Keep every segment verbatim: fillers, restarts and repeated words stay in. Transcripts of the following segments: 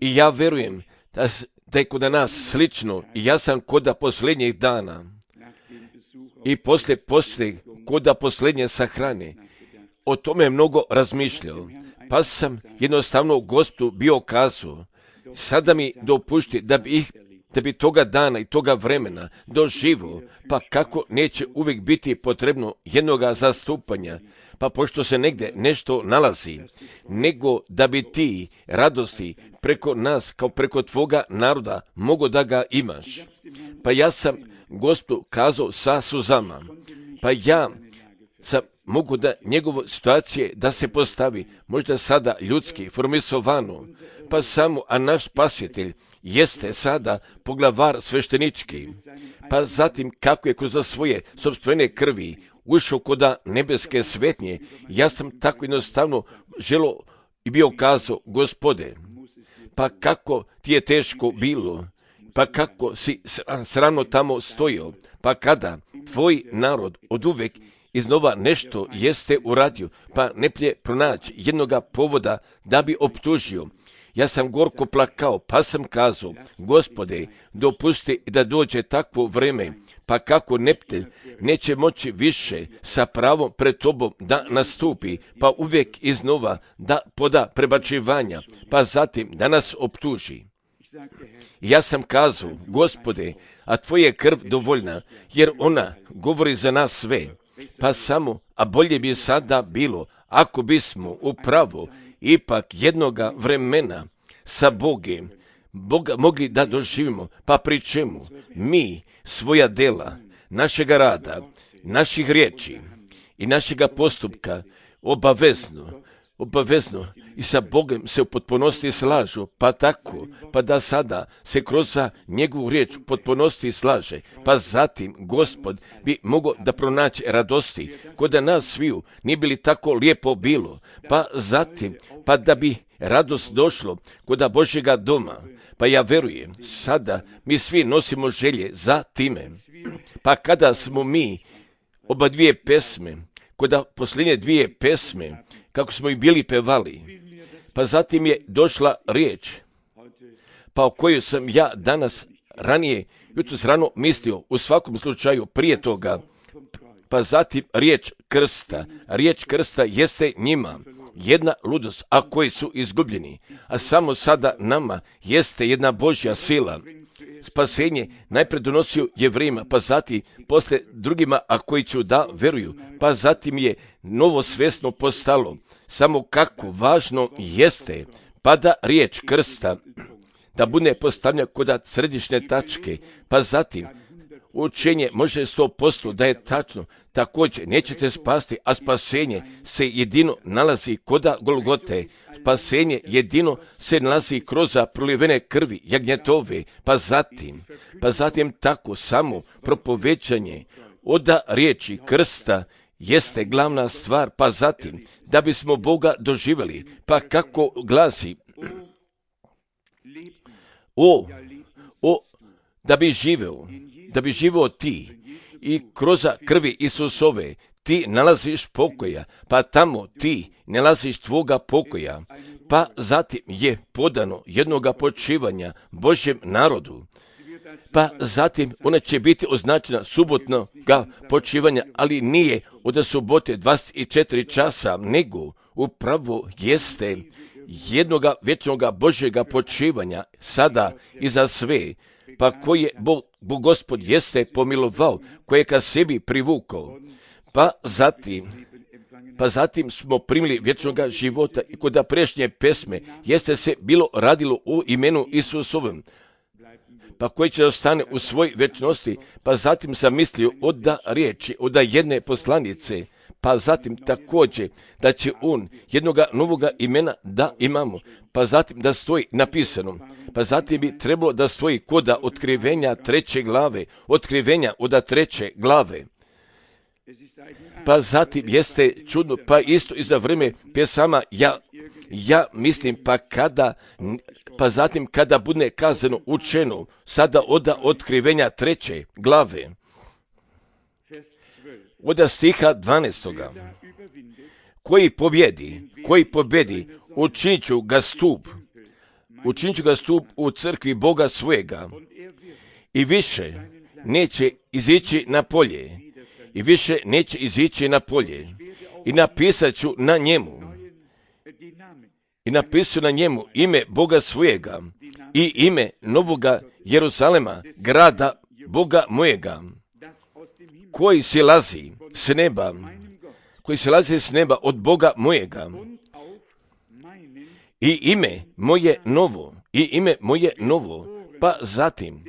I ja verujem da, da je kod nas slično i ja sam kod posljednjih dana i poslije poslije kod posljednje sahrane o tome mnogo razmišljao, pa sam jednostavno Gospodu bio kazao, sada mi dopušti da bi ih da bi toga dana i toga vremena doživo, pa kako neće uvijek biti potrebno jednoga zastupanja, pa pošto se negdje nešto nalazi, nego da bi ti radosti preko nas, kao preko tvoga naroda, mogo da ga imaš. Pa ja sam Gospodu kazao sa suzama, pa ja sam mogu da njegove situacije da se postavi, možda sada ljudski, formisovano, pa samo, a naš spasitelj jeste sada poglavar sveštenički, pa zatim kako je kroz svoje sopstvene krvi ušao koda nebeske svetnje, ja sam tako jednostavno želo i bio kazao, Gospode, pa kako ti je teško bilo, pa kako si srano tamo stojio, pa kada tvoj narod od uvek iznova nešto jeste uradio, pa ne plje pronaći jednoga povoda da bi optužio. Ja sam gorko plakao, pa sam kazao, Gospode, dopusti da dođe takvo vreme, pa kako neptelj neće moći više sa pravom pred tobom da nastupi, pa uvijek iznova da poda prebačivanja, pa zatim da nas optuži. Ja sam kazao, Gospode, a tvoja krv dovoljna, jer ona govori za nas sve. Pa samo, a bolje bi sada bilo, ako bismo upravo ipak jednoga vremena sa Bogom Boga mogli da doživimo, pa pri čemu mi svoja dela, našega rada, naših riječi i našega postupka obavezno, obavezno i sa Bogom se u potpunosti slažu, pa tako, pa da sada se kroz njegovu riječ u potpunosti slaže, pa zatim Gospod bi mogao da pronaći radosti, kod da nas sviju nije bili tako lijepo bilo, pa zatim, pa da bi radost došlo kod Božjega doma, pa ja verujem, sada mi svi nosimo želje za time, pa kada smo mi oba dvije pesme, kod posljednje dvije pesme, kako smo i bili pevali, pa zatim je došla riječ, pa o kojoj sam ja danas ranije, jutros rano mislio, u svakom slučaju prije toga, pa zatim riječ krsta. Riječ krsta jeste njima jedna ludost, a koji su izgubljeni, a samo sada nama jeste jedna Božja sila. Spasenje najpred donosio Jevrejima, pa zatim posle drugima, a koji će da veruju, pa zatim je novo svesno postalo. Samo kako važno jeste, pa da riječ krsta, da bude postavljena kod središnje tačke, pa zatim učenje može sto posto da je tačno, također nećete spasti, a spasenje se jedino nalazi kod Golgote. Spasenje jedino se nalazi kroz prolivene krvi jagnjetove, pa zatim, pa zatim tako samo propovećanje od riječi krsta jeste glavna stvar, pa zatim da bismo Boga doživjeli, pa kako glasi, o, o, da bi živeo, da bi živeo ti i kroz krvi Isusove ti nalaziš pokoja, pa tamo ti nalaziš tvoga pokoja, pa zatim je podano jednoga počivanja Božjem narodu, pa zatim ona će biti označena subotnog počivanja, ali nije od subote dvadeset četiri časa, nego upravo jeste jednoga vječnoga Božjega počivanja sada i za sve, pa koje Bog, Bog Gospod jeste pomilovao, koje ka sebi privukao, pa zatim, pa zatim smo primili vječnoga života i kod prešnje pesme jeste se bilo radilo u imenu Isusovom, pa koji će ostane u svoj vječnosti, pa zatim sam mislio od da riječi, od da jedne poslanice, pa zatim također da će on jednoga novoga imena da imamo, pa zatim da stoji napisano, pa zatim bi trebalo da stoji koda otkrivenja treće glave, otkrivenja od treće glave. Pa zatim jeste čudno, pa isto i za vrijeme pjesama, ja, ja mislim, pa kada, pa zatim kada bude kazano učeno, sada od otkrivenja treće glave, od stiha dvanaestoga, koji pobjedi, koji pobjedi, učinit ću ga stup učinit ću ga stup u crkvi Boga svojega i više neće izići na polje i više neće izići na polje i napisat ću na njemu i napisat na njemu ime Boga svojega i ime novoga Jeruzalema, grada Boga mojega, koji silazi s neba, koji silazi s neba od Boga mojega, i ime moje novo, i ime moje novo, pa zatim,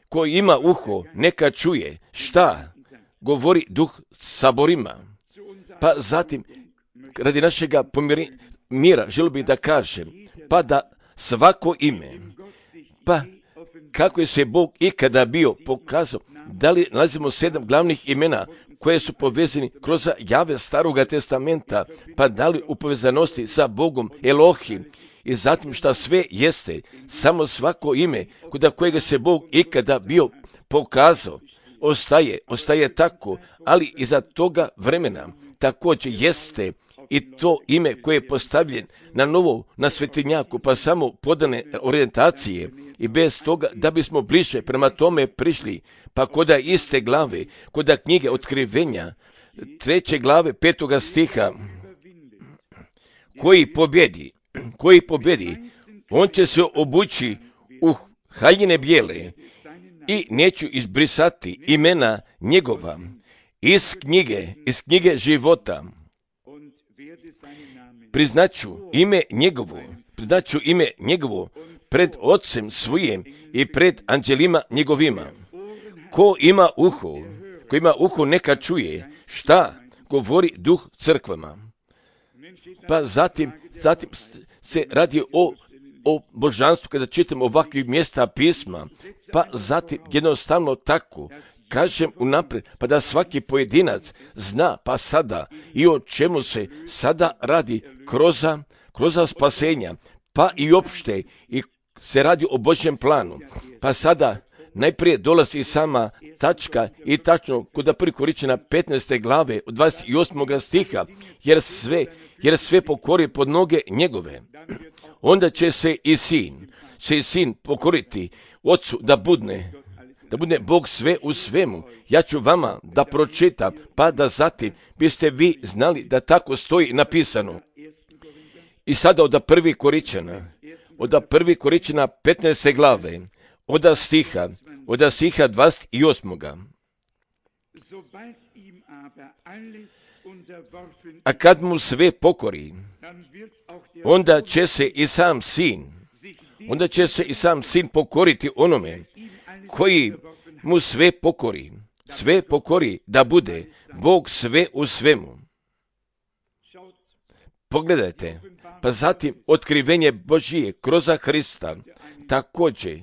ko ima uho, neka čuje šta govori Duh saborima, pa zatim, radi našega pomiri, mira, želio bih da kažem, pa da svako ime, pa kako je se Bog ikada bio pokazao, da li nalazimo sedam glavnih imena koje su povezani kroz jave Staroga testamenta, pa da li u povezanosti sa Bogom Elohim i zatim šta sve jeste, samo svako ime kod kojega se Bog ikada bio pokazao, ostaje, ostaje tako, ali iza toga vremena također jeste i to ime koje je postavljen na novo, na svetinjaku, pa samo podane orijentacije i bez toga da bismo bliže prema tome prišli, pa koda iste glave, koda knjige Otkrivenja, treće glave, petoga stiha, koji pobjedi, koji pobjedi, on će se obući u haljine bijele i neću izbrisati imena njegova iz knjige, iz knjige života. Priznaću ime njegovo, priznaću ime njegovo pred Otcem svojim i pred anđelima njegovima. Ko ima uho, ko ima uho neka čuje šta govori Duh crkvama. Pa zatim, zatim se radi o, o božanstvu kada čitamo ovakvih mjesta pisma, pa zatim jednostavno tako kažem unaprijed, pa da svaki pojedinac zna pa sada i o čemu se sada radi kroz, kroz spasenja, pa i opšte i se radi o Božjem planu. Pa sada najprije dolazi sama tačka i tačno kod prvi Korinćana petnaeste glave od dvadeset osmog stiha, jer sve, jer sve pokori pod noge njegove. Onda će se i sin, će i sin pokoriti ocu da budne, da bude Bog sve u svemu. Ja ću vama da pročitam, pa da zatim biste vi znali da tako stoji napisano. I sada od prvi Korinćana, od prvi Korinćana petnaeste glave, od stiha, od stiha dvadeset osmog. A kad mu sve pokori, onda će se i sam sin, onda će se i sam sin pokoriti onome koji mu sve pokori, sve pokori da bude Bog sve u svemu. Pogledajte, pa zatim otkrivenje Božije kroz Hrista također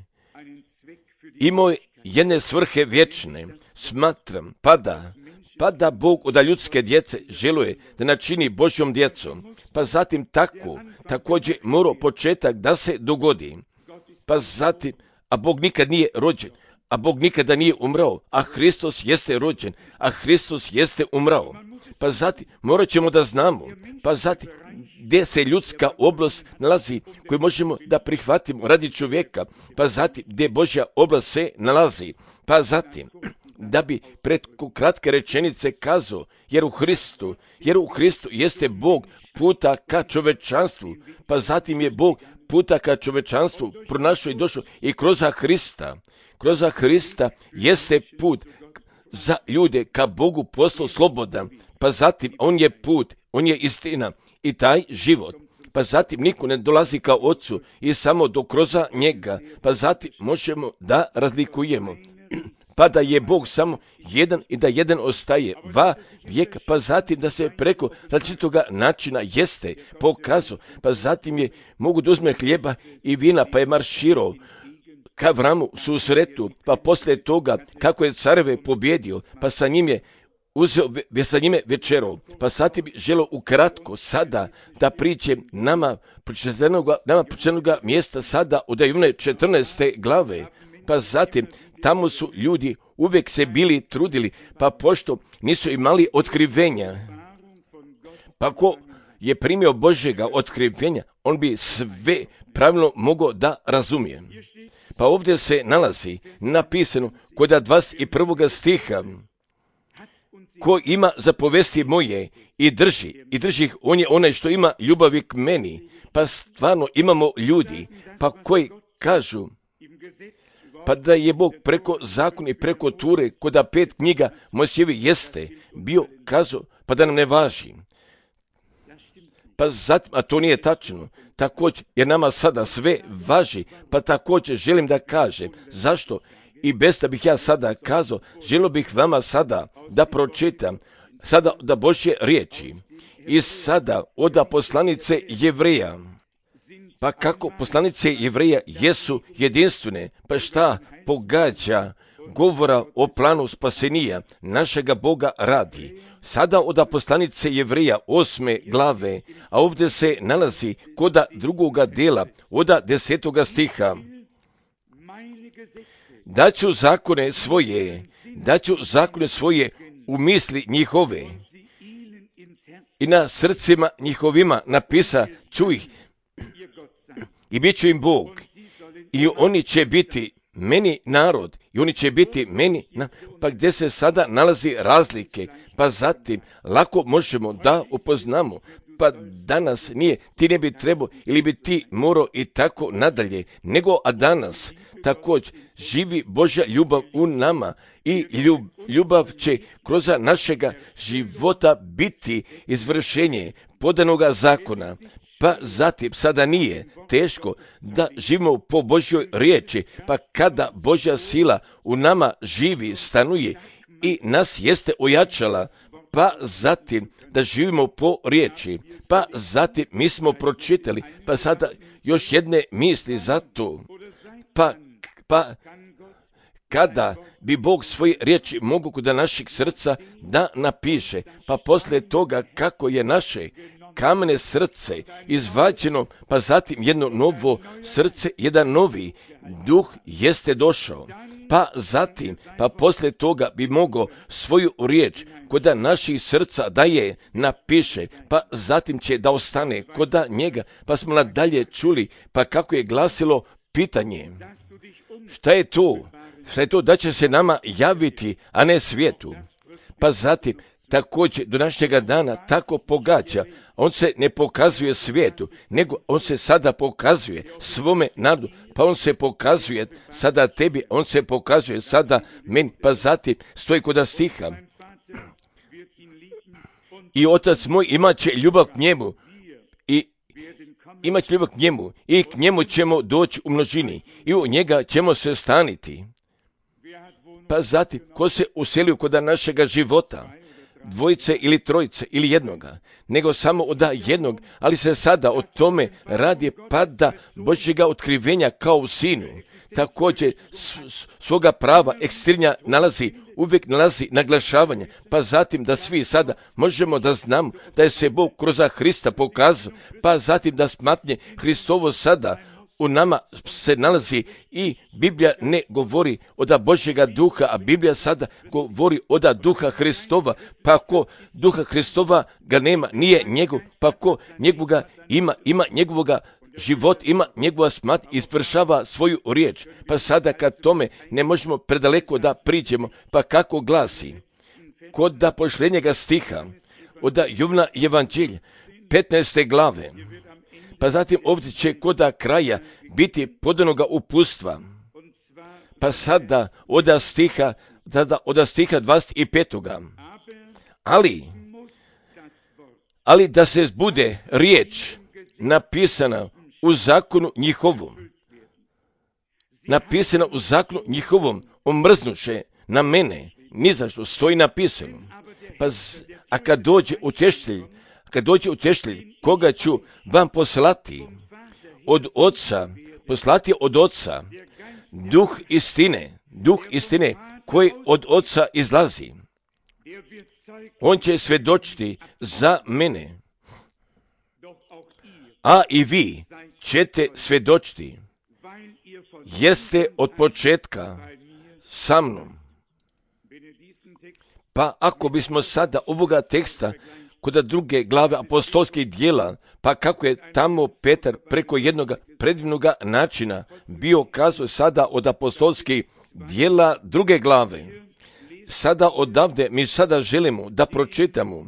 imao jedne svrhe vječne. Smatram, pa da, pa da Bog od ljudske djece želuje da načini Božjom djecom, pa zatim tako, također mora početak da se dogodi, pa zatim, a Bog nikad nije rođen, a Bog nikada nije umrao, a Hristos jeste rođen, a Hristos jeste umrao. Pa zatim morat ćemo da znamo, pa zatim gdje se ljudska oblast nalazi koju možemo da prihvatimo radi čovjeka, pa zatim gdje Božja oblast se nalazi, pa zatim da bi preko kratke rečenice kazao, jer u Hristu, jer u Hristu jeste Bog puta ka čovečanstvu, pa zatim je Bog puta ka čovečanstvu pronašao i došao i kroz Hrista, kroz Hrista jeste put za ljude ka Bogu postao slobodan, pa zatim on je put, on je istina i taj život. Pa zatim niko ne dolazi ka Otcu i samo do kroz njega, pa zatim možemo da razlikujemo. Pa da je Bog samo jedan i da jedan ostaje va vijeka, pa zatim da se preko različitoga načina jeste pokazao, pa zatim je mogu da uzme hljeba i vina, pa je marširao ka Avramu susretu, pa poslije toga kako je careve pobjedio, pa sa njim je uzeo, sa njime večerao, pa sad bi želio ukratko sada da priđem nama pročitanoga, nama pročitanoga mjesta sada od Ivane četrnaeste glave, pa zatim tamo su ljudi uvijek se bili trudili, pa pošto nisu imali otkrivenja, pa ko je primio Božjega otkrivenja, on bi sve pravilno mogao da razumije. Pa ovdje se nalazi napisano kod dvadeset prvog stiha, ko ima zapovesti moje i drži, i drži ih, on je onaj što ima ljubavi k meni. Pa stvarno imamo ljudi, pa koji kažu, pa da je Bog preko zakona i preko Ture, kod pet knjiga Mojsijevi jeste bio kazao, pa da nam ne važi. Pa zatim, a to nije tačno, također, jer nama sada sve važi, pa također želim da kažem, zašto? I bez da bih ja sada kazao, želio bih vama sada da pročitam, sada da Božje riječi, i sada od poslanice Jevreja. Pa kako poslanice Jevreja jesu jedinstvene, pa šta pogađa govora o planu spasenija našega Boga radi. Sada od poslanice Jevreja osme glave, a ovdje se nalazi koda drugoga dela, od desetoga stiha. Daću zakone svoje, daću zakone svoje u misli njihove i na srcima njihovima napisa ću ih i bit ću im Bog i oni će biti meni narod i oni će biti meni, na... pa gdje se sada nalazi razlike, pa zatim lako možemo da upoznamo, pa danas nije, ti ne bi trebao ili bi ti morao i tako nadalje, nego a danas također živi Božja ljubav u nama i ljub, ljubav će kroz našega života biti izvršenje podanoga zakona. Pa zatim sada nije teško da živimo po Božjoj riječi, pa kada Božja sila u nama živi, stanuje i nas jeste ojačala, pa zatim da živimo po riječi, pa zatim mi smo pročitali, pa sada još jedne misli za to, pa, pa kada bi Bog svoje riječi mogu kod našeg srca da napiše, pa poslije toga kako je naše kamene srce izvađeno, pa zatim jedno novo srce, jedan novi duh jeste došao. Pa zatim, pa poslije toga bi mogao svoju riječ kod naših srca da je napiše, pa zatim će da ostane kod njega, pa smo nadalje čuli, pa kako je glasilo pitanje. Šta je to? Šta je to da će se nama javiti, a ne svijetu? Pa zatim, također do današnjega dana tako pogađa, on se ne pokazuje svijetu, nego on se sada pokazuje svome narodu, pa on se pokazuje sada tebi, on se pokazuje sada meni, pa zatim stoji kod stiha. I otac moj imat će ljubav k njemu i imat će ljubav k njemu i k njemu ćemo doći u množini i u njega ćemo se staniti. Pa zatim, ko se uselio kod našega života, dvojice ili trojice ili jednoga, nego samo od jednog, ali se sada o tome radi pada Božjega otkrivenja kao u sinu. Također svoga prava ekstrinja nalazi, uvijek nalazi naglašavanje, pa zatim da svi sada možemo da znamo da je se Bog kroz Hrista pokazao, pa zatim da smatnje Hristovo sada u nama se nalazi i Biblija ne govori od Božjega duha, a Biblija sada govori od duha Hristova, pa ko duha Hristova ga nema, nije njegov, pa ko njegovoga ima, ima njegovoga život, ima njegova smat, ispršava svoju riječ. Pa sada kad tome ne možemo predaleko da priđemo, pa kako glasi? Kod da pošljenjega stiha, od Jovana Evanđelja, petnaeste glave, pa zatim ovdje će kod kraja biti podanoga upustva. Pa sada od stiha, tada od stiha dvadeset petog Ali, ali da se zbude riječ napisana u zakonu njihovom, napisana u zakonu njihovom, omrznuše na mene, ni zašto stoji napisano. Pa, a kad dođe utješitelj, kad dođe utješitelj, koga ću vam poslati od oca, poslati od oca, duh istine, duh istine koji od oca izlazi. On će svjedočiti za mene, a i vi ćete svjedočiti, jer ste od početka sa mnom. Pa ako bismo sada ovoga teksta kod druge glave apostolskih dijela, pa kako je tamo Petar preko jednog predivnog načina bio kazao sada od apostolskih dijela druge glave. Sada odavde mi sada želimo da pročitamo,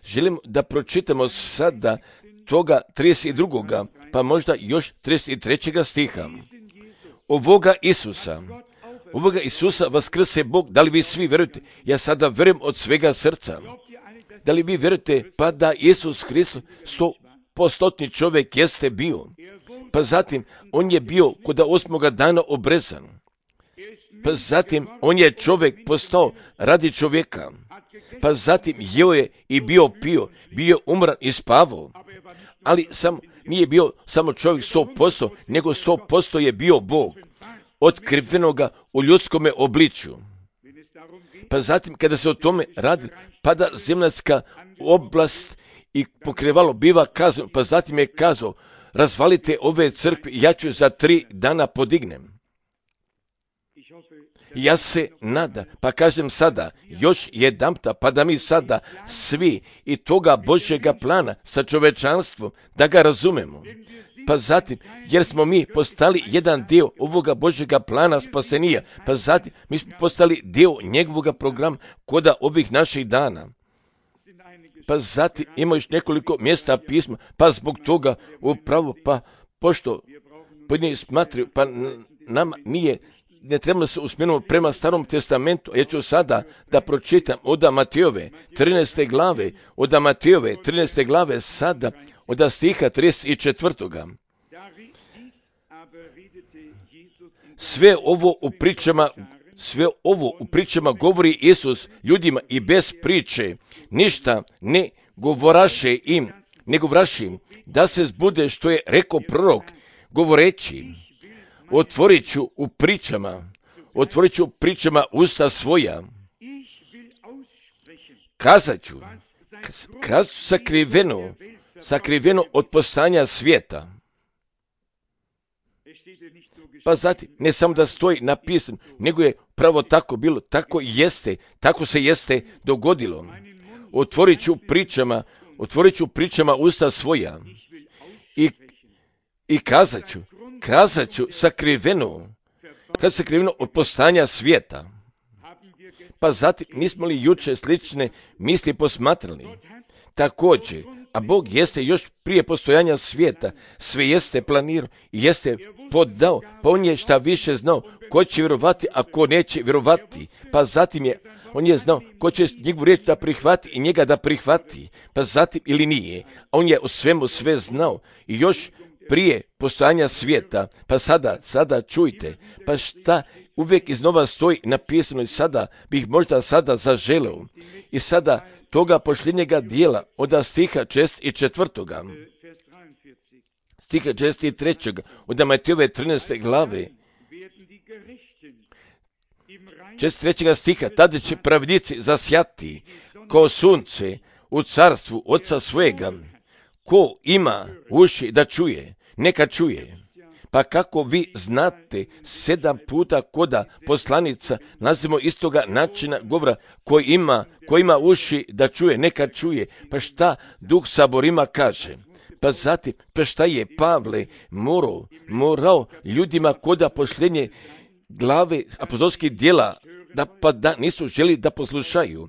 želimo da pročitamo sada toga trideset drugog pa možda još trideset trećeg stiha. Ovoga Isusa, ovoga Isusa vaskrse Bog, da li vi svi vjerujete? Ja sada vjerujem od svega srca. Da li vi vjerujete pa da Isus Hristos sto postotni čovjek jeste bio? Pa zatim on je bio kod osmoga dana obrezan. Pa zatim on je čovjek postao radi čovjeka. Pa zatim jeo je i bio pio, bio umran i spavao. Ali sam, nije bio samo čovjek sto posto, nego sto posto je bio Bog, otkrivenoga u ljudskome obličju. Pa zatim kada se o tome radi, pada zemaljska oblast i pokrivalo biva kazano, pa zatim je kazao, razvalite ove crkve, ja ću za tri dana podignem. Ja se nada, pa kažem sada, još jedanputa, pa da mi sada svi i toga Božjega plana sa čovečanstvom, da ga razumemo. Pa zatim, jer smo mi postali jedan dio ovoga Božjega plana spasenija, pa zatim mi smo postali dio njegovog programa koda ovih naših dana. Pa zatim ima još nekoliko mjesta pisma, pa zbog toga upravo, pa pošto pojedini smatraju, pa nama nije, ne trebamo se usmjeriti prema Starom testamentu. Ja ću sada da pročitam od Matejove trinaeste glave, od Matejove trinaeste glave sada, od stiha trideset četvrtog. Sve ovo u pričama, sve ovo u pričama govori Isus ljudima i bez priče, ništa ne govoraše im, ne govoraše im, da se zbude što je rekao prorok, govoreći, otvorit ću u pričama, otvorit ću pričama usta svoja, kazat ću, kazat ću sakriveno, sakriveno od postanja svijeta. Pa zatim, ne samo da stoji napisano, nego je pravo tako bilo, tako jeste, tako se jeste dogodilo. Otvorit ću pričama, otvorit ću pričama usta svoja i, i kazat ću, kazat ću sakriveno, kad sakriveno od postanja svijeta. Pa zatim, nismo li juče slične misli posmatrali? Također, a Bog jeste još prije postojanja svijeta, sve jeste planirao i jeste podao, pa on je šta više znao, ko će vjerovati, a ko neće vjerovati. Pa zatim je, on je znao ko će njegovu riječ da prihvati i njega da prihvati, pa zatim ili nije. A on je o svemu sve znao i još prije postojanja svijeta, pa sada, sada čujte, pa šta uvijek iznova stoji napisano i sada bih možda sada zaželeo. I sada toga posljednjega dijela od stiha šezdeset četvrtoga. Stiha šezdeset trećeg od Matejove trinaeste glave. šezdeset trećeg stiha, tada će pravednici zasjati kao sunce u carstvu Oca svojega. Ko ima uši da čuje, neka čuje. Pa kako vi znate, sedam puta koda poslanica nazivamo istoga načina govora, koji ima, koji ima uši da čuje, neka čuje. Pa šta Duh Saborima kaže? Pa zatim, pa šta je Pavle morao, morao ljudima koda posljednje glave apostolskih dijela, da pa da nisu želi da poslušaju.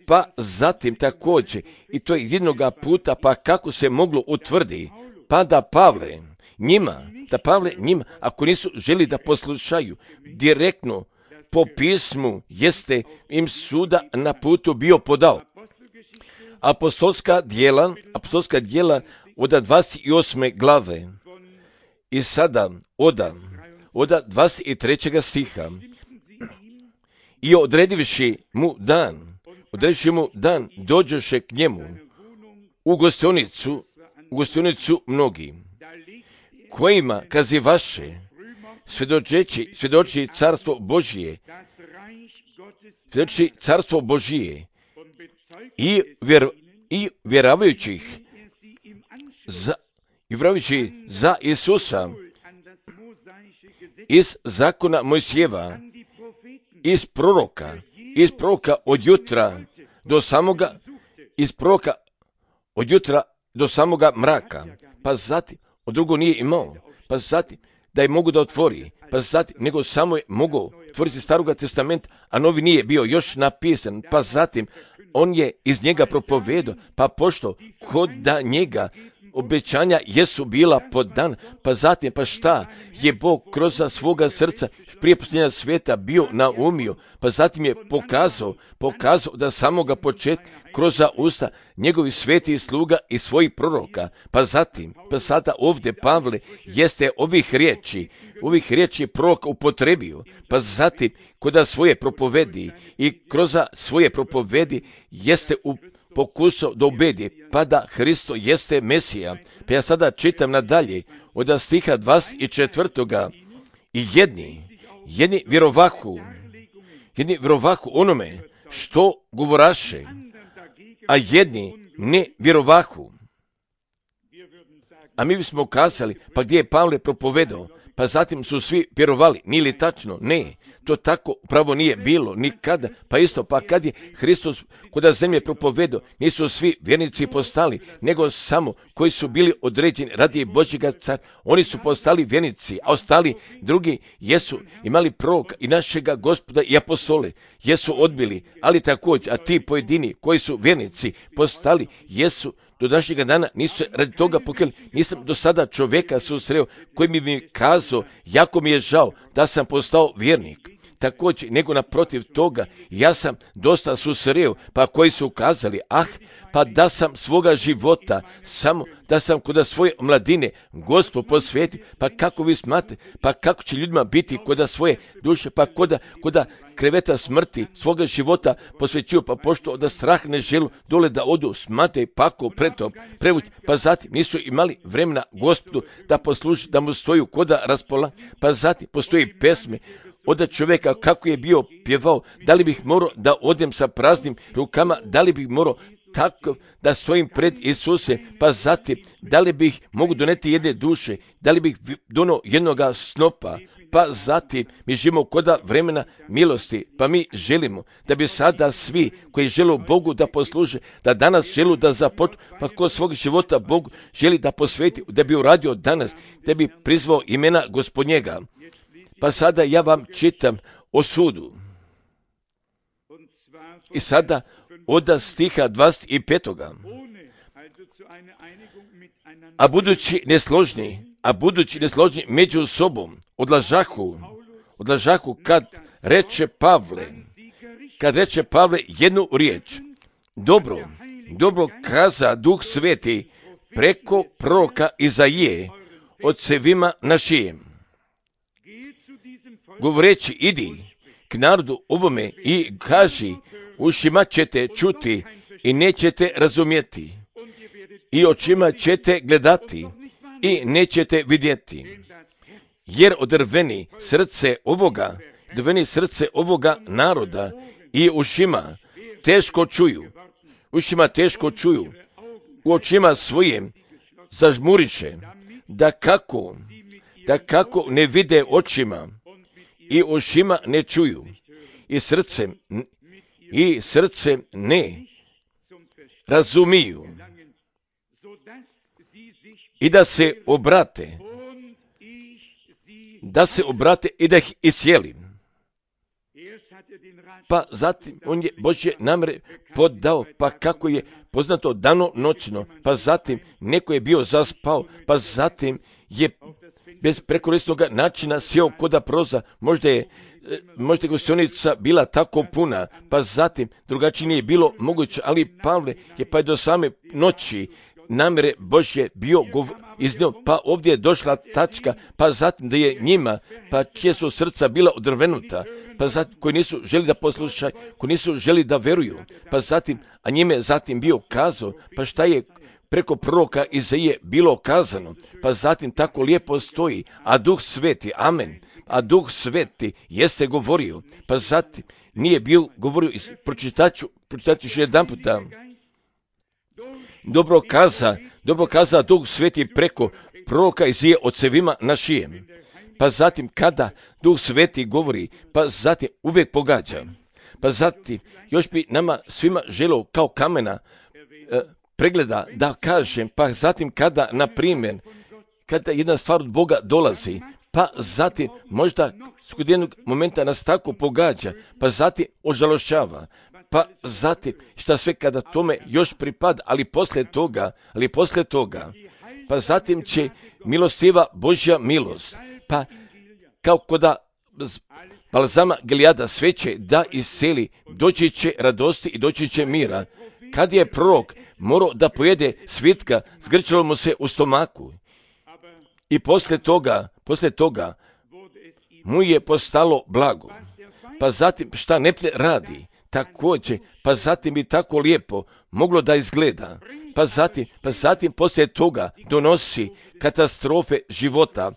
Pa zatim također, i to je jednoga puta, pa kako se moglo utvrdi, pa da Pavle njima, da Pavle njima, ako nisu želi da poslušaju, direktno po pismu jeste im suda na putu bio podao. Apostolska djela, apostolska djela od dvadeset osme glave i sada od, od dvadeset trećeg stiha. I odredivši mu dan, odredivši mu dan, dođoše k njemu u gostionicu, u gostionicu mnogi, kojima kazivaše, svjedočeći, svjedoči carstvo Božije, svjedoči carstvo Božije i, vjer, i vjeravajućih za, i vjeravajući za Isusa iz zakona Mojsijeva, iz proroka, iz proroka od jutra do samoga, iz proroka od jutra do samoga mraka, pa zatim od drugo nije imao, pa zatim da je mogu da otvori, pa zatim nego samo je mogao otvoriti Staroga testamenta, a novi nije bio još napisan, pa zatim on je iz njega propovedao, pa pošto kod da njega obećanja jesu bila podan, pa zatim pa šta je Bog kroz svoga srca prije posljednja svijeta bio naumio, pa zatim je pokazao, pokazao da samoga početka kroz usta njegovi sveti sluga i svojih proroka, pa zatim, pa sada ovdje Pavle jeste ovih riječi, ovih riječi proroka upotrebio, pa zatim koda svoje propovedi i kroz svoje propovedi jeste u pokusao da ubedi, pa da Hristo jeste Mesija. Pa ja sada čitam nadalje od stiha dvadeset četvrtoga i jedni, jedni vjerovahu, jedni vjerovahu onome što govoraše, a jedni ne vjerovahu. A mi bismo kazali, pa gdje je Pavle propovedao, pa zatim su svi vjerovali, nije li tačno? Ne. To tako pravo nije bilo nikada, pa isto, pa kad je Hristos kod zemlje propovedao, nisu svi vjernici postali, nego samo koji su bili određeni radi Božjega cara, oni su postali vjernici, a ostali drugi jesu imali proroka i našega Gospoda i apostole, jesu odbili, ali također, a ti pojedini koji su vjernici postali, jesu do današnjega dana nisu se radi toga pokajali. Nisam do sada čovjeka susreo koji mi bi kazao, jako mi je žao da sam postao vjernik. Također, nego naprotiv toga, ja sam dosta susreo, pa koji su kazali, ah, pa da sam svoga života, samo da sam kod svoje mladine Gospod posvetio, pa kako vi smatrate, pa kako će ljudima biti kod svoje duše, pa kod, kod kreveta smrti svoga života posvećuju, pa pošto da strah ne želu dole da odu, smatraju pako preto prevući, pa zatim nisu imali vremena Gospodu da posluži, da mu stoju koda raspola, pa zatim postoji pesme od čovjeka kako je bio pjevao, da li bih morao da odem sa praznim rukama, da li bih morao tako da stojim pred Isuse, pa zatim da li bih mogu doneti jedne duše, da li bih donio jednoga snopa, pa zatim mi živimo koda vremena milosti, pa mi želimo da bi sada svi koji žele Bogu da posluže, da danas želu da započnu, pa kod svog života Bogu želi da posveti, da bi uradio danas, da bi prizvao imena Gospodnjega. Pa sada ja vam čitam o sudu. I sada od stiha dvadeset petoga. A budući nesložni, a budući nesložni među sobom, odlažahu, odlažahu kad reče Pavle, kad reče Pavle jednu riječ. Dobro, dobro kaza Duh Sveti preko proroka Izaije ocevima našim. Govoreći, idi k narodu ovome i kaži, ušima ćete čuti i nećete razumjeti, i očima ćete gledati i nećete vidjeti, jer odrveni srce ovoga, odrveni srce ovoga naroda i ušima teško čuju, ušima teško čuju, u očima svojim zažmuriše, da kako, da kako ne vide očima, i ušima ne čuju, i srcem, i srcem ne razumiju, i da se obrate, da se obrate i da ih isjeli. Pa zatim on je Božje namjere podao, pa kako je poznato dano noćno, pa zatim neko je bio zaspao, pa zatim je bez prekorisnog načina sjeo koda proza, možda je možda je gostionica bila tako puna, pa zatim drugačije nije bilo moguće, ali Pavle je pa do same noći namjere Božje bio gov, iznio, pa ovdje je došla tačka, pa zatim da je njima, pa čije su srca bila odrvenuta, pa zatim koji nisu želi da poslušaju, koji nisu želi da veruju, pa zatim, a njime zatim bio kazao, pa šta je preko proroka Izaije bilo kazano, pa zatim tako lijepo stoji, a Duh Sveti, amen, a Duh Sveti jeste govorio, pa zatim nije bio govorio, pročitaću, pročitaću još jedan puta, dobro kaza, dobro kaza Duh Sveti preko proroka Izaije ocevima našijem, pa zatim kada Duh Sveti govori, pa zatim uvijek pogađa, pa zatim još bi nama svima želo kao kamena, pregleda, da kažem, pa zatim kada, na primjer, kada jedna stvar od Boga dolazi, pa zatim možda kod jednog momenta nas tako pogađa, pa zatim ožalošćava, pa zatim šta sve kada tome još pripada, ali poslije toga, ali poslije toga, pa zatim će milostiva Božja milost, pa kao koda balzama Gileada sve će da isceli, doći će radosti i doći će mira. Kad je prorok morao da pojede svitka, zgrčalo mu se u stomaku. I poslije toga, poslije toga mu je postalo blago. Pa zatim šta neprijatelj radi, također, pa zatim bi tako lijepo moglo da izgleda. Pa zatim, pa zatim poslije toga donosi katastrofe života,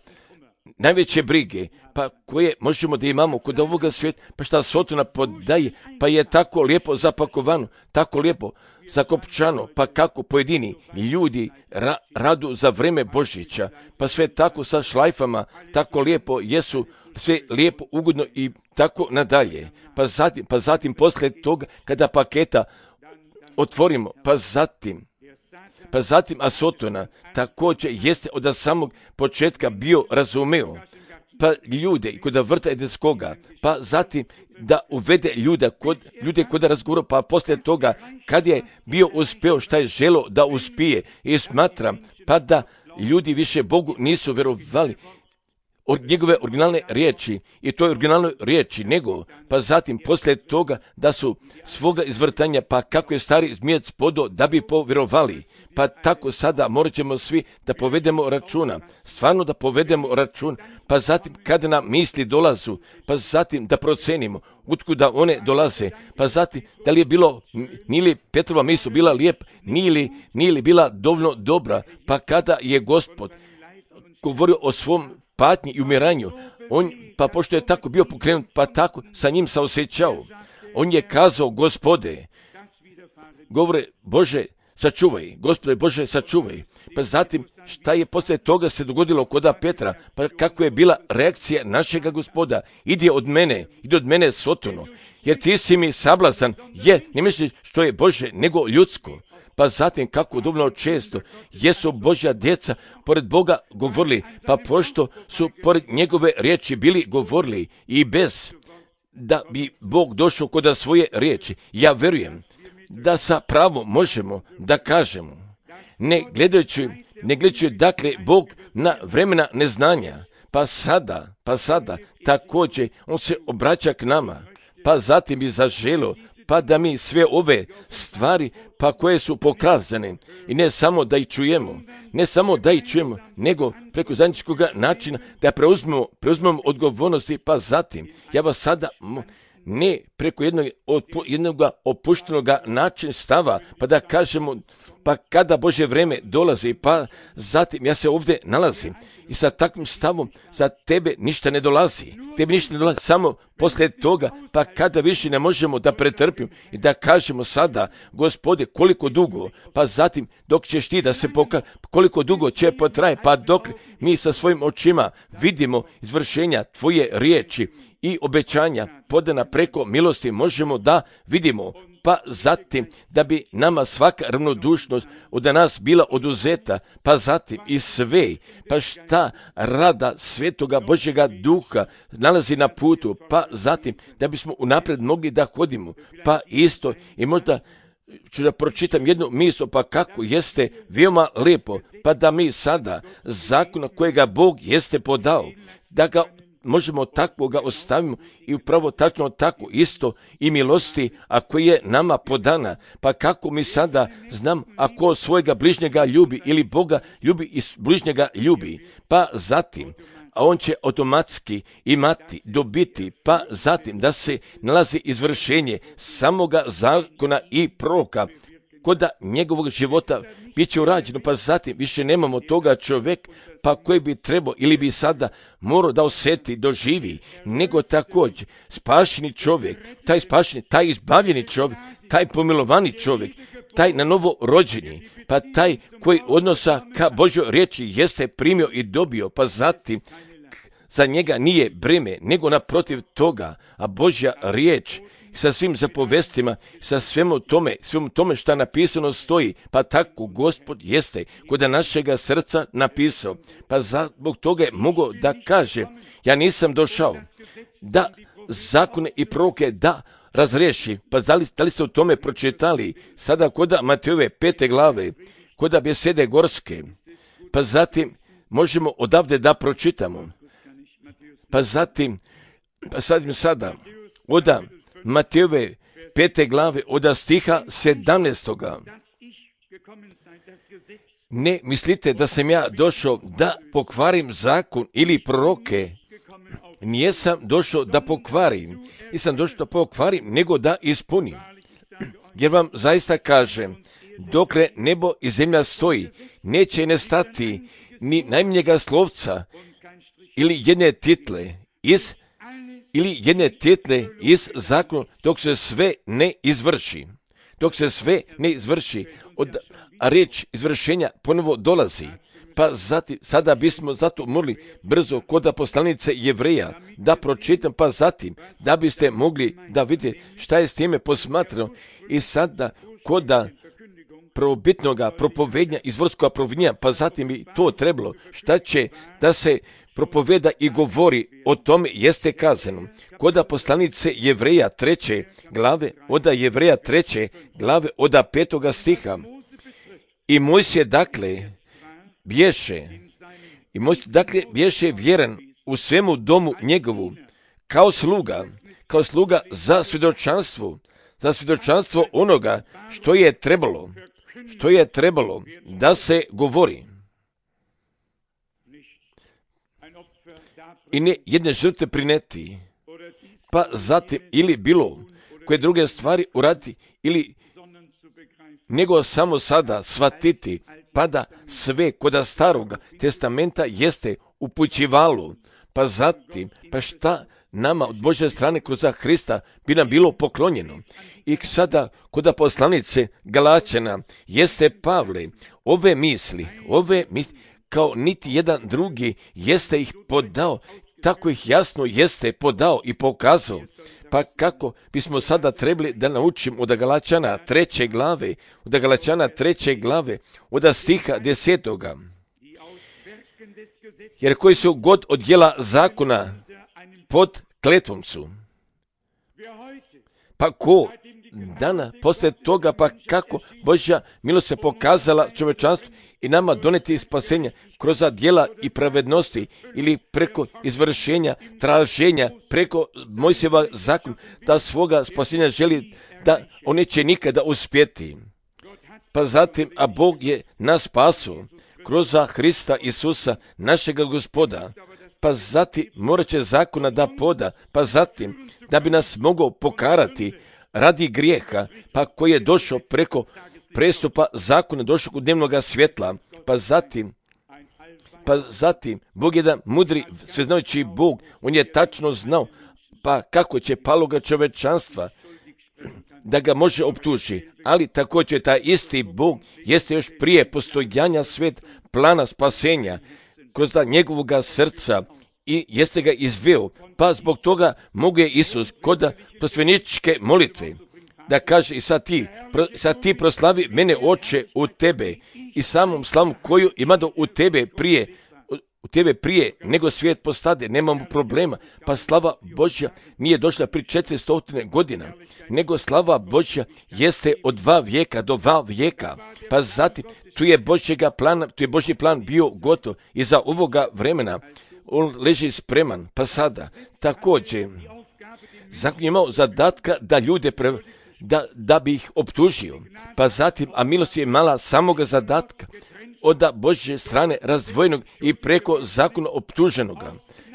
najveće brige, pa koje možemo da imamo kod ovoga svijeta, pa šta Sotona podaje, pa je tako lijepo zapakovano, tako lijepo zakopčano, pa kako pojedini ljudi ra, radu za vreme Božića, pa sve tako sa šlajfama, tako lijepo jesu, sve lijepo, ugodno i tako nadalje. Pa zatim, pa zatim poslije toga kada paketa otvorimo, pa zatim, pa zatim a Sotona također jeste od samog početka bio razumeo, pa ljude kod vrta edeskoga, pa zatim da uvede ljude kod, ljude kod razgovora, pa poslije toga kad je bio uspeo šta je želo da uspije i smatram, pa da ljudi više Bogu nisu vjerovali od njegove originalne riječi i to je originalnoj riječi nego, pa zatim poslije toga da su svoga izvrtanja, pa kako je stari zmijec podo da bi povjerovali. Pa tako sada morat ćemo svi da povedemo računa, stvarno da povedemo račun, pa zatim kada nam misli dolazu, pa zatim da procenimo utkuda one dolaze, pa zatim da li je bilo, nije li Petrova misl bila lijep, nije li, nije li bila dovoljno dobra, pa kada je Gospod govorio o svom patnji i umiranju, on, pa pošto je tako bio pokrenut, pa tako sa njim se osjećao, on je kazao, Gospode, govore, Bože, sačuvaj, Gospode Bože, sačuvaj. Pa zatim, šta je poslije toga se dogodilo kod Petra, pa kako je bila reakcija našega Gospoda, ide od mene, ide od mene Sotono, jer ti si mi sablazan, jer ne misliš što je Bože, nego ljudsko. Pa zatim, kako dovoljno često jesu Božja djeca pored Boga govorili, pa pošto su pored njegove riječi bili govorili i bez da bi Bog došao kod svoje riječi, ja vjerujem da sa pravom možemo da kažemo, ne gledajući, ne gledajući dakle Bog na vremena neznanja, pa sada, pa sada također on se obraća k nama, pa zatim bi zaželo, pa da mi sve ove stvari, pa koje su pokazane, i ne samo da ih čujemo, ne samo da ih čujemo, nego preko zajedničkog načina da preuzmemo, preuzmemo odgovornosti, pa zatim, ja vas sada ne preko jednog, jednog opuštenog načina stava, pa da kažemo, pa kada Božje vrijeme dolazi, pa zatim ja se ovdje nalazim i sa takvim stavom za tebe ništa ne dolazi, tebi ništa ne dolazi, samo poslije toga, pa kada više ne možemo da pretrpimo i da kažemo sada, Gospode, koliko dugo, pa zatim dok ćeš ti da se pokaže, koliko dugo će potraje, pa dok mi sa svojim očima vidimo izvršenja tvoje riječi i obećanja podana preko milosti možemo da vidimo, pa zatim da bi nama svaka ravnodušnost od nas bila oduzeta, pa zatim i sve, pa šta rada Svetoga Božjega Duha nalazi na putu, pa zatim da bismo unaprijed mogli da hodimo, pa isto i možda ću da pročitam jednu misl, pa kako jeste veoma lijepo, pa da mi sada zakona kojega Bog jeste podao, da ga možemo takvoga ostavimo i upravo tačno tako isto i milosti, ako je nama podana, pa kako mi sada znam ako svojega bližnjega ljubi ili Boga ljubi i bližnjega ljubi, pa zatim a on će automatski imati, dobiti, pa zatim da se nalazi izvršenje samoga zakona i proroka kod njegovog života bit će urađeno, pa zatim više nemamo toga čovjek, pa koji bi trebao ili bi sada morao da osjeti, doživi, nego također spašeni čovjek, taj spašeni, taj izbavljeni čovjek, taj pomilovani čovjek, taj na novo rođeni, pa taj koji odnosa ka Božjoj riječi jeste primio i dobio, pa zatim za njega nije breme, nego naprotiv toga, a Božja riječ sa svim zapovestima, sa svemu tome, svemu tome što napisano stoji, pa tako Gospod jeste kod našega srca napisao. Pa zbog toga je mogao da kaže, ja nisam došao da zakone i proroke da razriješi. Pa da li, da li ste o tome pročitali sada kod Matejove pete glave, kod besede gorske, pa zatim možemo odavde da pročitamo. Pa zatim, pa sad sada, od Matejove pete glave, od stiha sedamnaestoga. Ne mislite da sam ja došao da pokvarim zakon ili proroke. Nijesam došao da pokvarim. Nisam došao da pokvarim, nego da ispunim. Jer vam zaista kažem, dokle nebo i zemlja stoji, neće ne stati ni najmanjega slovca ili jedne title iz ili jedne title iz zakona, dok se sve ne izvrši. Dok se sve ne izvrši, od, a riječ izvršenja ponovo dolazi. Pa zatim, sada bismo zato morali brzo kod poslanice Jevreja da pročitam, pa zatim da biste mogli da vidite šta je s time posmatrano. I sada kod prvobitnoga propovednja, izvorskog propovednja, pa zatim bi to trebalo. Šta će da se propoveda i govori o tome jeste kazano. Kod poslanice Jevreja treće glave, od Jevreja treće glave, od petoga stiha. I Mojsije dakle bješe, i Mojsije dakle bješe vjeran u svemu domu njegovu, kao sluga, kao sluga za svjedočanstvo, za svjedočanstvo onoga što je trebalo, što je trebalo da se govori. I ne jedne žrtve prineti, pa zatim ili bilo koje druge stvari uraditi, ili nego samo sada shvatiti, pa da sve kod staroga testamenta jeste upućivalo, pa zatim, pa šta nama od Božje strane kroz Hrista bi nam bilo poklonjeno. I sada kod poslanice Galačana jeste Pavle, ove misli, ove misli, kao niti jedan drugi jeste ih podao, tako ih jasno jeste podao i pokazao. Pa kako bismo sada trebali da naučimo od Galačana treće glave, od Galačana treće glave, od stiha desetoga. Jer koji su god od djela zakona pod kletvom su. Pa ko dana posle toga, pa kako Božja milost se pokazala čovečanstvu i nama doneti spasenja kroz djela i pravednosti ili preko izvršenja, traženja, preko Mojsijeva zakona, da svoga spasenja želi da on neće nikada uspjeti. Pa zatim, a Bog je nas spasao kroz Hrista Isusa, našega Gospoda, pa zatim morat će zakona da poda, pa zatim da bi nas mogao pokarati radi grijeha, pa koji je došao preko prestupa zakona, došao kod dnevnoga svjetla, pa zatim, pa zatim, Bog je da mudri, sveznajući Bog, on je tačno znao, pa kako će paloga čovečanstva da ga može optuži, ali također taj isti Bog jeste još prije postojanja svet plana spasenja kroz njegovog srca i jeste ga izveo, pa zbog toga mogu je Isus kod prosvjeničke molitve da kaže i sad ti, pro, sad ti proslavi mene Oče u tebe i samom slavom koju ima do u tebe prije, u tebe prije nego svijet postade, nemamo problema, pa slava Božja nije došla pri četiristo godina, nego slava Božja jeste od dva vijeka do dva vijeka, pa zatim tu je Božjega plana, tu je Božji plan bio gotov i za ovoga vremena on leži spreman, pa sada također zakon je imao zadatka da ljude pre, da, da bi ih optužio, pa zatim, a milost je imala samoga zadatka od Božje strane razdvojenog i preko zakona optuženoga.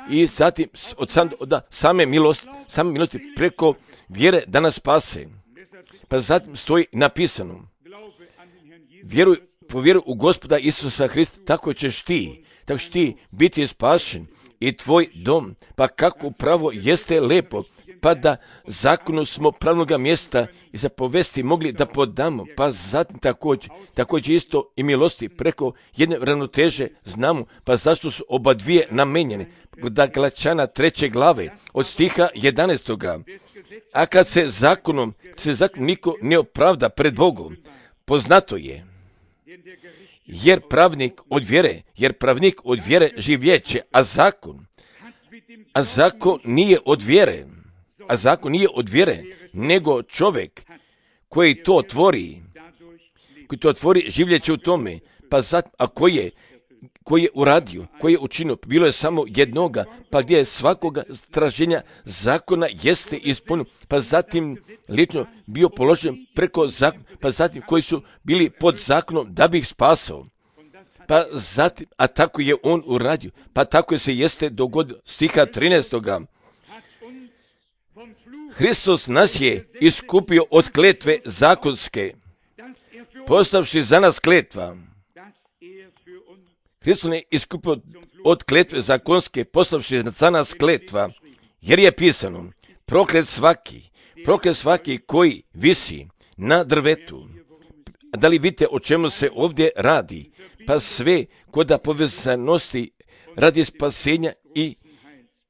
I zatim od, sam, od same milosti, same milosti preko vjere da nas spase. Pa zatim stoji napisano, vjeruj, povjeruj u Gospoda Isusa Hrista, tako ćeš ti, tako ćeš ti biti spašen i tvoj dom. Pa kako pravo jeste lepo, pa da zakonu smo pravnoga mjesta i zapovesti mogli da podamo, pa zatim također, također isto i milosti preko jedne ravnoteže znamo, pa zašto su oba dvije namenjene. Da Galačana treće glave od stiha jedanaestoga. A kad se zakonom, se zakonom niko ne opravda pred Bogom, poznato je, jer pravnik od vjere, jer pravnik od vjere živjeće, a zakon, a zakon nije od vjere, a zakon nije od vjere, nego čovjek koji to tvori, koji to tvori življeće u tome, pa zat, a koji je, koji je uradio, koji je učinio, bilo je samo jednoga, pa gdje je svakoga straženja zakona jeste ispunio, pa zatim lično bio položen preko zakona, pa zatim koji su bili pod zakonom da bi ih spasao. Pa zatim, a tako je on uradio, pa tako se jeste dogodilo, stiha trinaestoga. Hristos nas je iskupio od kletve zakonske, postavši za nas kletva. Hristos je iskupio od kletve zakonske, postavši za nas kletva, jer je pisano, proklet svaki, proklet svaki koji visi na drvetu. Da li vidite o čemu se ovdje radi? Pa sve koda povezanosti radi spasenja i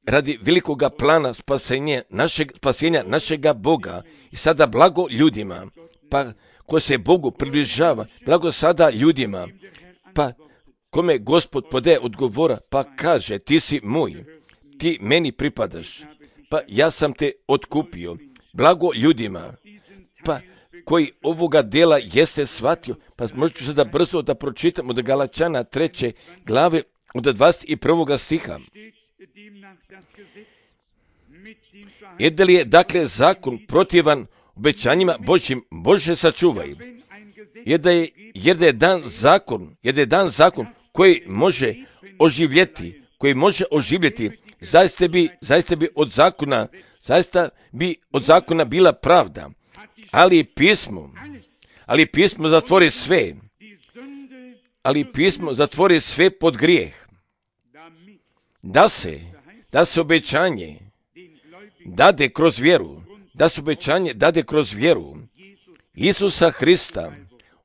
radi velikoga plana spasenja našeg, spasenja našega Boga. I sada blago ljudima, pa ko se Bogu približava, blago sada ljudima, pa kome Gospod podaje odgovora, pa kaže, ti si moj, ti meni pripadaš, pa ja sam te otkupio. Blago ljudima, pa koji ovoga dela jeste shvatio, pa možete sada brzo da pročitamo od Galačana treće glave od dvadeset prvog stiha. Jer da li je dakle zakon protivan obećanjima Božjim, Bože sačuvaj. Jer da je, jer da je dan zakon, jer da je dan zakon koji može oživjeti, koji može oživjeti, zaista bi, zaista bi od zakona, zaista bi od zakona bila pravda. Ali pismo, ali pismo zatvori sve, ali pismo zatvori sve pod grijeh. Da se, da se obećanje dade kroz vjeru, da se obećanje dade kroz vjeru Isusa Hrista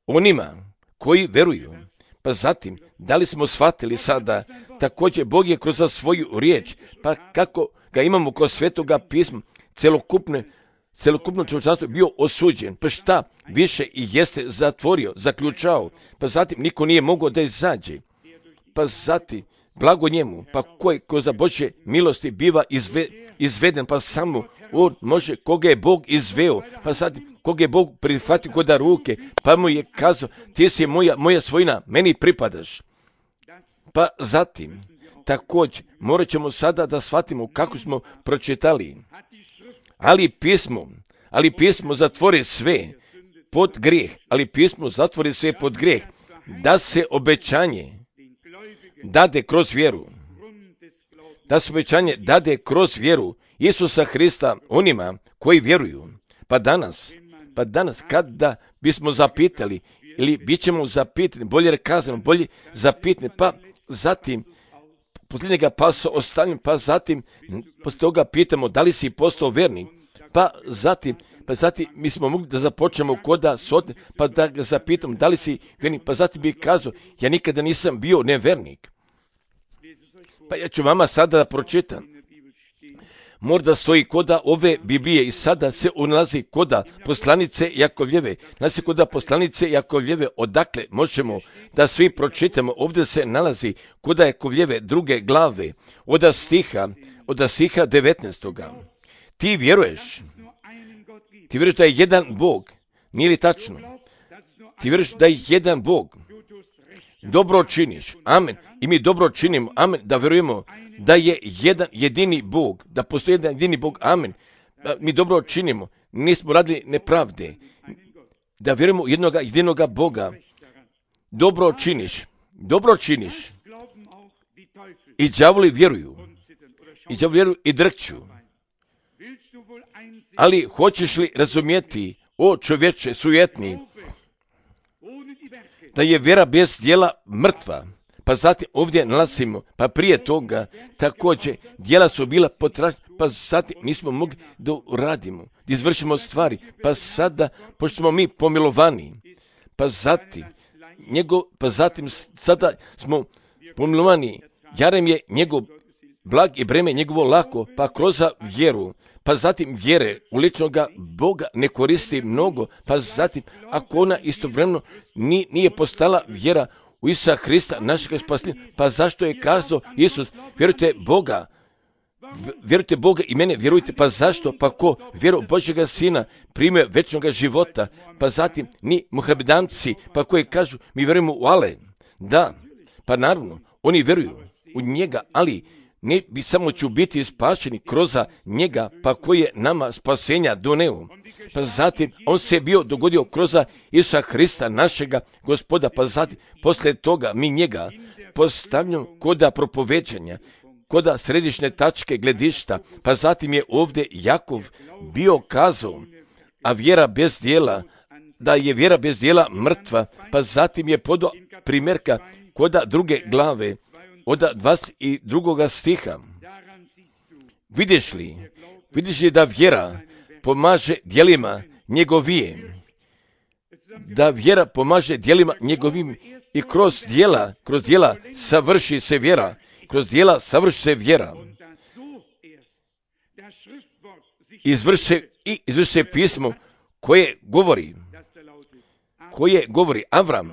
onima koji veruju. Pa zatim, da li smo shvatili sada, također Bog je kroz svoju riječ, pa kako ga imamo kroz svetoga pisma, celokupne celokupno čovječanstvo bio osuđen, pa šta više i jeste zatvorio, zaključao, pa zatim niko nije mogao da izađe, pa zatim blago njemu, pa koji kroz Božje milosti biva izve, izveden, pa samo on može, koga je Bog izveo, pa zatim koga je Bog prihvatio kod ruke, pa mu je kazao, ti si moja, moja svojina, meni pripadaš. Pa zatim, također, morat ćemo sada da shvatimo kako smo pročitali. Ali pismo, ali pismo zatvori sve pod grijeh, ali pismo zatvori sve pod grijeh, da se obećanje dade kroz vjeru, da se obećanje dade kroz vjeru Isusa Hrista onima koji vjeruju. Pa danas, pa danas kada bismo zapitali, ili bit ćemo zapitani, bolje rekazano, bolje zapitani, pa zatim posljednjega pasa ostavljam, pa zatim poslije toga pitamo da li si postao vernik, pa zatim, pa zatim mi smo mogli da započnemo koda sotne, pa da ga zapitam da li si vernik, pa zatim bi kazao, ja nikada nisam bio nevernik. Pa ja ću vama sada da pročitam. Možda stoji koda ove Biblije i sada se unalazi koda poslanice Jakovljeve. Nalazi koda poslanice Jakovljeve, odakle možemo da svi pročitamo. Ovdje se nalazi koda Jakovljeve druge glave, od stiha, od stiha devetnaestoga. Ti vjeruješ, ti vjeruješ da je jedan Bog, nije li tačno? Ti vjeruješ da je jedan Bog, dobro činiš, amen, i mi dobro činimo, amen, da vjerujemo da je jedan jedini Bog, da postoji jedan jedini Bog, amen, da mi dobro činimo, nismo radili nepravde, da vjerujemo jednoga jedinoga Boga, dobro činiš, dobro činiš, i đavoli vjeruju, i đavoli vjeruju i drhću. Ali hoćeš li razumjeti, o čovječe sujetni, da je vjera bez djela mrtva? Pa zatim ovdje nalazimo, pa prije toga također djela su bila potražena, pa zatim nismo mogli da uradimo, da izvršimo stvari, pa sada, pošto smo mi pomilovani, pa zatim, njegov, pa zatim sada smo pomilovani, Jarem je njegov blag i breme njegovo lako, pa kroz vjeru, pa zatim vjere u ličnoga Boga ne koristi mnogo, pa zatim ako ona istovremeno nije, nije postala vjera u Isusa Hrista, našeg spasenja, pa zašto je kazao Isus, vjerujte Boga, vjerujte Boga i mene, vjerujte, pa zašto? Pa ko vjeru Božjega Sina primio večnog života, pa zatim ni muhamedanci, pa koji kažu mi vjerujemo u Ale. Da, pa naravno, oni vjeruju u njega, ali ne bi samo ću biti spašeni kroz njega, pa koji je nama spasenja doneo. Pa zatim on se bio dogodio kroz Isusa Hrista, našega Gospoda, pa zatim poslije toga mi njega postavljamo koda propoveđanja, koda središnje tačke gledišta, pa zatim je ovdje Jakov bio kazao, a vjera bez djela, da je vjera bez djela mrtva, pa zatim je podao primjerka koda druge glave, od dvadeset drugog stiha. Vidiš li, vidiš li da vjera pomaže djelima njegovije, da vjera pomaže djelima njegovim i kroz djela, kroz djela savrši se vjera, kroz djela savrši se vjera. Izvrši se, i izvrši se pismo koje govori, koje govori Avram,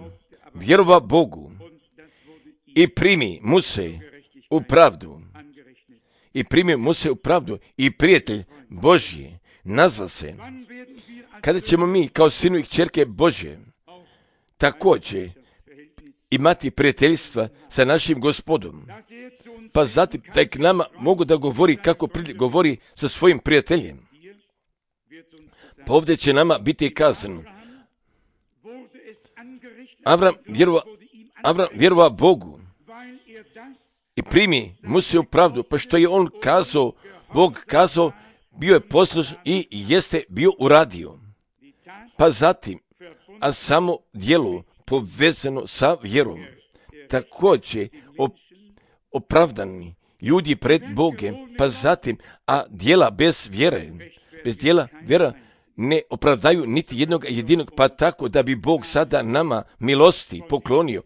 vjerova Bogu i primi mu se u pravdu. I primi mu se u pravdu i prijatelj Božji nazva se. Kada ćemo mi kao sinu i kćerke Božje također imati prijateljstva sa našim Gospodom, pa zatim tek nama mogu da govori kako govori sa svojim prijateljem. Pa ovdje će nama biti kazano. Avram vjerova, Avram vjerova Bogu i primi mu se u pravdu, pa što je on kazao, Bog kazao, bio je poslušan i jeste bio uradio. Pa zatim, a samo djelo povezano sa vjerom, također opravdani ljudi pred Bogem, pa zatim, a djela bez vjere, bez djela vjera ne opravdaju niti jednog jedinog, pa tako da bi Bog sada nama milosti poklonio,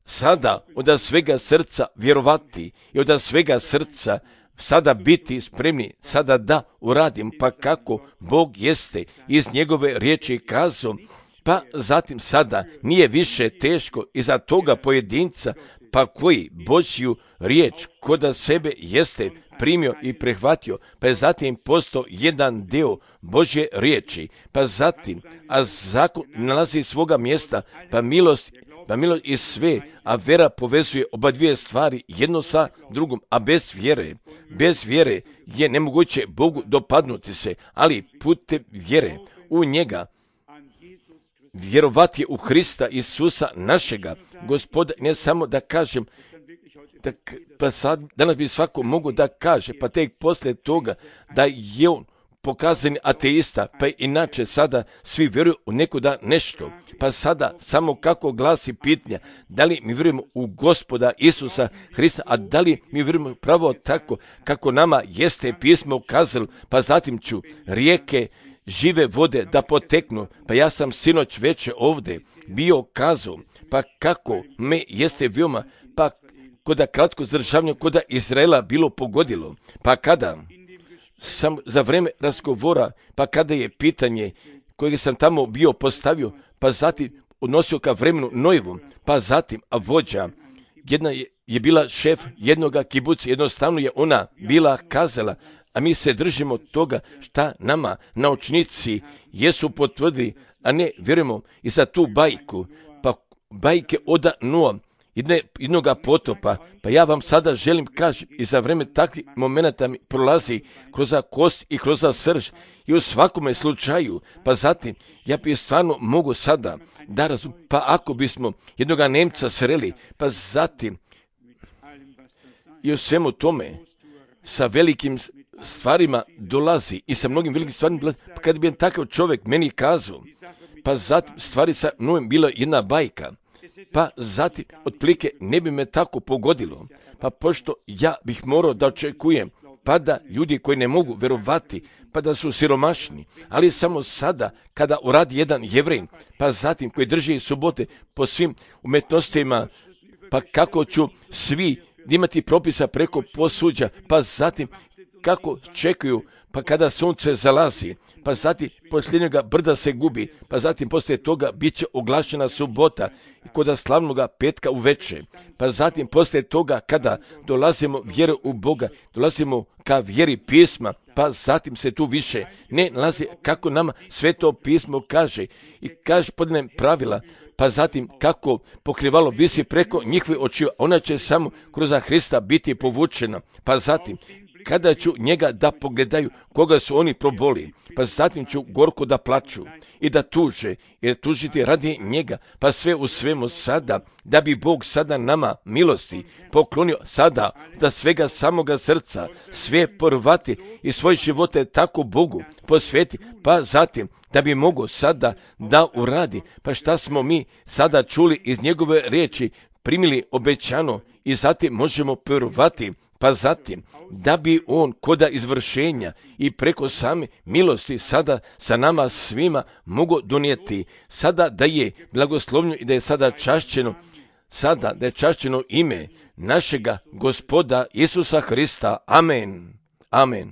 sada od svega srca vjerovati i od svega srca sada biti spremni, sada da uradim, pa kako Bog jeste iz njegove riječi kazao, pa zatim sada nije više teško iza toga pojedinca, pa koji Božju riječ koda sebe jeste primio i prihvatio, pa je zatim postao jedan dio Božje riječi, pa zatim, a zakon nalazi svoga mjesta, pa milost Pa milost i sve, a vera povezuje oba dvije stvari jedno sa drugom, a bez vjere, bez vjere je nemoguće Bogu dopadnuti se, ali putem vjere u njega, vjerovati je u Hrista Isusa našega Gospoda, ne samo da kažem, da, pa sad, danas bi svako mogu da kaže, pa tek poslije toga da je on pokazani ateista, pa inače sada svi vjeruju u nekuda nešto. Pa sada samo kako glasi pitanja, da li mi vjerujemo u Gospoda Isusa Hrista, a da li mi vjerujemo pravo tako kako nama jeste pismo kazalo, pa zatim ću rijeke žive vode da poteknu, pa ja sam sinoć večer ovdje bio kazao, pa kako me jeste veoma, pa koda kratko zdržavanje koda Izraela bilo pogodilo, pa kada sam za vrijeme razgovora, pa kada je pitanje kojeg sam tamo bio postavio, pa zatim odnosio ka vremenu Nojevom, pa zatim a vođa, jedna je, je bila šef jednoga kibuca, jednostavno je ona bila kazala, a mi se držimo toga šta nama naučnici jesu potvrdili, a ne vjerujemo i za tu bajku, pa bajke od Noa, Jedne, jednoga potopa, pa ja vam sada želim kaži i za vreme takvih momenata mi prolazi kroz kost i kroz srž i u svakome slučaju, pa zatim ja bi stvarno mogu sada da razum, pa ako bismo jednoga Nemca sreli, pa zatim i u svemu tome sa velikim stvarima dolazi i sa mnogim velikim stvarima dolazi, pa kad bi takav čovjek meni kazao, pa zatim stvari sa mnom bila jedna bajka, pa zatim otprilike ne bi me tako pogodilo, pa pošto ja bih morao da očekujem, pa da ljudi koji ne mogu verovati, pa da su siromašni, ali samo sada kada uradi jedan Jevrej, pa zatim koji drži subote po svim umetnostima, pa kako ću svi imati propisa preko posuđa, pa zatim kako čekaju, pa kada sunce zalazi, pa zatim posljednjega brda se gubi, pa zatim poslije toga bit će oglašena subota i kod slavnoga petka uveče, pa zatim poslije toga kada dolazimo vjeru u Boga, dolazimo ka vjeri pisma, pa zatim se tu više ne nalazi kako nama sveto pismo kaže i kaže podne pravila, pa zatim kako pokrivalo visi preko njihovih očiju, ona će samo kroz Hrista biti povučena, pa zatim kada ću njega da pogledaju koga su oni proboli, pa zatim ću gorko da plaču i da tuže, jer tužiti radi njega, pa sve u svemu sada, da bi Bog sada nama milosti poklonio sada, da svega samoga srca, sve porvati i svoje živote tako Bogu posveti, pa zatim da bi mogo sada da uradi, pa šta smo mi sada čuli iz njegove riječi, primili obećano i zatim možemo porvati, pa zatim da bi on koda izvršenja i preko same milosti sada sa nama svima mogo donijeti, sada da je blagoslovljeno i da je sada čašćeno, sada da je čašćeno ime našega Gospoda Isusa Hrista. Amen. Amen.